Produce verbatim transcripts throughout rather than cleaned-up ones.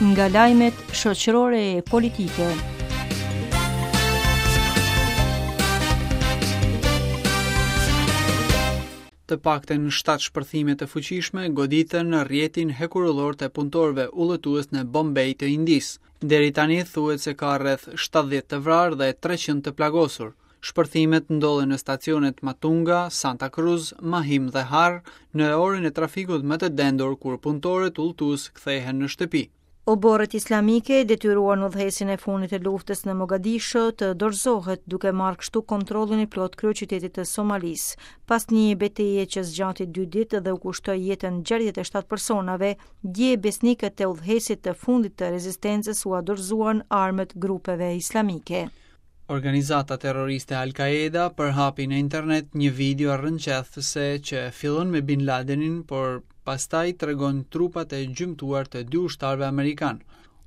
Nga lajmet shoqërore e politike. Të paktën shtatë shpërthime të fuqishme goditën në rrjetin hekurudhor të punëtorëve udhëtues në Bombay të Indisë. Deri tani thuhet se ka rreth shtatëdhjetë të vrarë dhe treqind të plagosur. Shpërthimet ndodhen në stacionet Matunga, Santa Cruz, Mahim dhe Har në orën e trafikut më të dendur kur punëtorët udhëtues kthehen në shtëpi. Oborret islamike detyruan udhëheqësin e fundit të luftës në Mogadishu të dorëzohet, duke marrë kështu kontrollin e plot kryeqytetit të Somalisë. Pas një beteje që zgjati dy ditë dhe u kushtoi jetën gjashtëdhjetë e shtatë personave, dje besnikët e udhëheqësit të fundit të rezistencës ua dorëzuan armët grupeve islamike. Organizata terroriste Al-Qaeda përhapi në internet një video rrënqethëse që fillon me Bin Ladenin, por pastaj tregon trupat e gjymtuar të dy ushtarëve amerikan.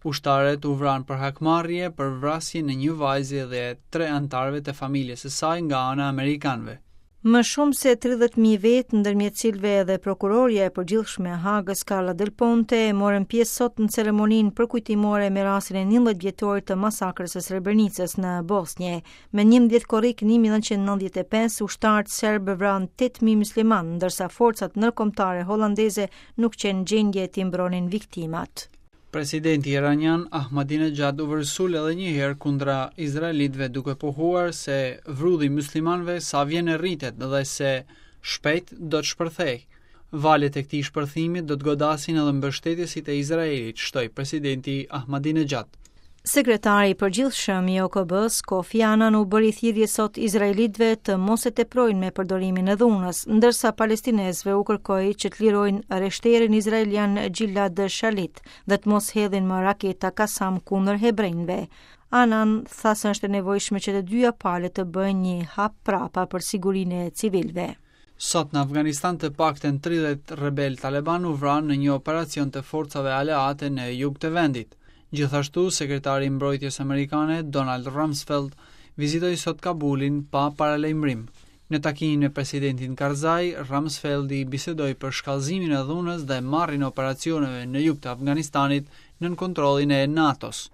Ushtarët u vranë për hakmarrje për vrasjen e një vajze dhe tre anëtarëve të familjes së saj nga ana e amerikanëve. Më shumë se tridhjetë mijë vetë, ndërmjet cilëve edhe prokurorja e përgjithshme e Hagës, Carla Del Ponte, morën pjesë sot në ceremoninë përkujtimore me rastin e njëmbëdhjetë vjetorit të masakrës së Srebrenicës në Bosnje. Me njëmbëdhjetë korrik një mijë e nëntëqind e nëntëdhjetë e pesë, ushtarët serbë vranë tetë mijë muslimanë, ndërsa forcat ndërkombëtare hollandeze nuk qenë gjendje t'i mbronin viktimat. Presidenti iranian Ahmadinejad u vërsul edhe një herë kundra izraelitëve duke pohuar se vrulli i muslimanëve sa vjen e rritet dhe se shpejt do të shpërthej. Valet e këtij shpërthimi do të godasin edhe mbështetësit e Izraelit, shtoi presidenti Ahmadinejad. Sekretari i përgjithshëm i O K B-s, Kofi Annan, u bëri thirrje sot izraelitëve të mos e teprojnë me përdorimin e dhunës, ndërsa palestinezëve u kërkoi që të lirojnë rreshterin izraelian Gilad Shalit dhe të mos hedhin më raketa Kasam kundër hebrejve. Annan tha se është e nevojshme që të dyja palët të bëjnë një hap prapa për sigurinë e civilëve. Sot në Afganistan të paktën tridhjetë rebel taliban u vranë në një operacion të forcave aleate në jug të vendit. Gjithashtu, sekretari i mbrojtjes amerikane Donald Rumsfeld vizitoi sot Kabulin pa paralajmërim. Në takimin me presidentin Karzai, Rumsfeldi bisedoi për shkallëzimin e dhunës dhe marrjen e operacioneve në jug të Afganistanit nën kontrollin e NATO-s.